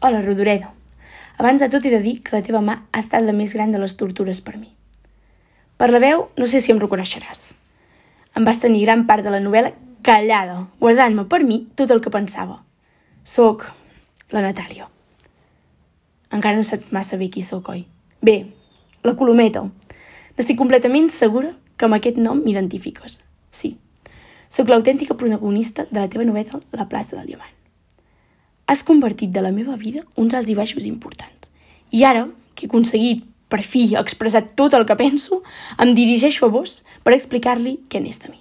Hola, Rodoredo. Abans de tot he de dir que la teva mà ha estat la més gran de les tortures per mi. Per la veu, no sé si em reconeixeràs. Em vas tenir gran part de la novel·la callada, guardant-me per mi tot el que pensava. Soc la Natàlia. Encara no saps massa bé qui sóc, oi? Bé, la Colometa. N'estic completament segura que amb aquest nom m'identifiques. Sí, sóc l'autèntica protagonista de la teva novel·la La plaça del Diamant. Has convertit de la meva vida uns alts i baixos importants. I ara, que he aconseguit, per fi, expressar tot el que penso, em dirigeixo a vos per explicar-li què n'és de mi.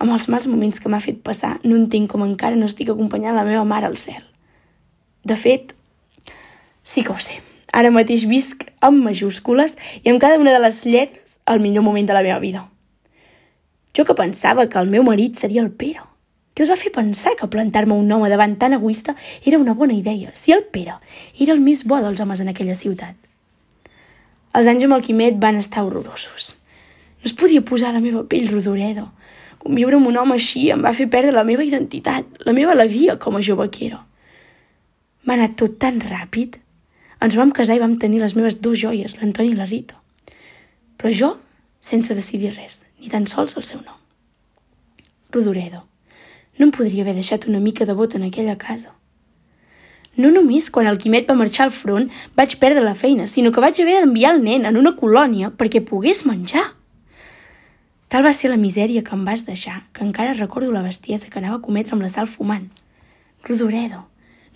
Amb els mals moments que m'ha fet passar, no entenc com encara no estic acompanyant la meva mare al cel. De fet, sí que ho sé. Ara mateix visc amb majúscules i amb cada una de les lletres el millor moment de la meva vida. Jo que pensava que el meu marit seria el Pere. Què us va fer pensar que plantar-me un home davant tan egoista era una bona idea, si el Pere era el més bo dels homes en aquella ciutat? Els anys amb el Quimet van estar horrorosos. No es podia posar a la meva pell, Rodoreda. Conviure amb un home així em va fer perdre la meva identitat, la meva alegria com a jove que era. Va anar tot tan ràpid. Ens vam casar i vam tenir les meves dues joies, l'Antoni i la Rita. Però jo, sense decidir res, ni tan sols el seu nom. Rodoreda. No em podria haver deixat una mica de vot en aquella casa. No només quan el Quimet va marxar al front vaig perdre la feina, sinó que vaig haver d'enviar el nen en una colònia perquè pogués menjar. Tal va ser la misèria que em vas deixar, que encara recordo la bestiesa que anava a cometre amb la sal fumant. Rodoredo,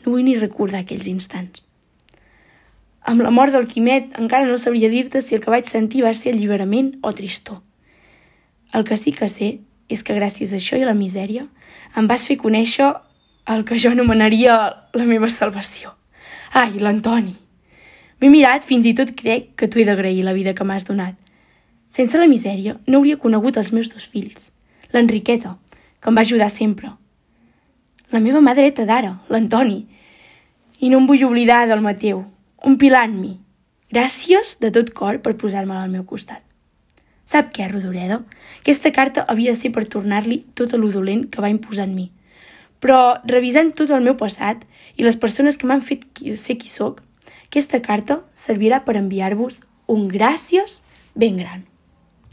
no vull ni recordar aquells instants. Amb la mort del Quimet encara no sabria dir-te si el que vaig sentir va ser alliberament o tristor. El que sí que sé és que gràcies a això i a la misèria em vas fer conèixer el que jo anomenaria la meva salvació. Ai, l'Antoni. M'he mirat, fins i tot crec que t'ho he d'agrair la vida que m'has donat. Sense la misèria no hauria conegut els meus dos fills. L'Enriqueta, que em va ajudar sempre. La meva mà dreta d'ara, l'Antoni. I no em vull oblidar del Mateu, un pilar en mi. Gràcies de tot cor per posar-me'l al meu costat. Sap què, Rodoreda? Aquesta carta havia de ser per tornar-li tot el dolent que va imposar en mi. Però, revisant tot el meu passat i les persones que m'han fet ser qui sóc, aquesta carta servirà per enviar-vos un gràcies ben gran.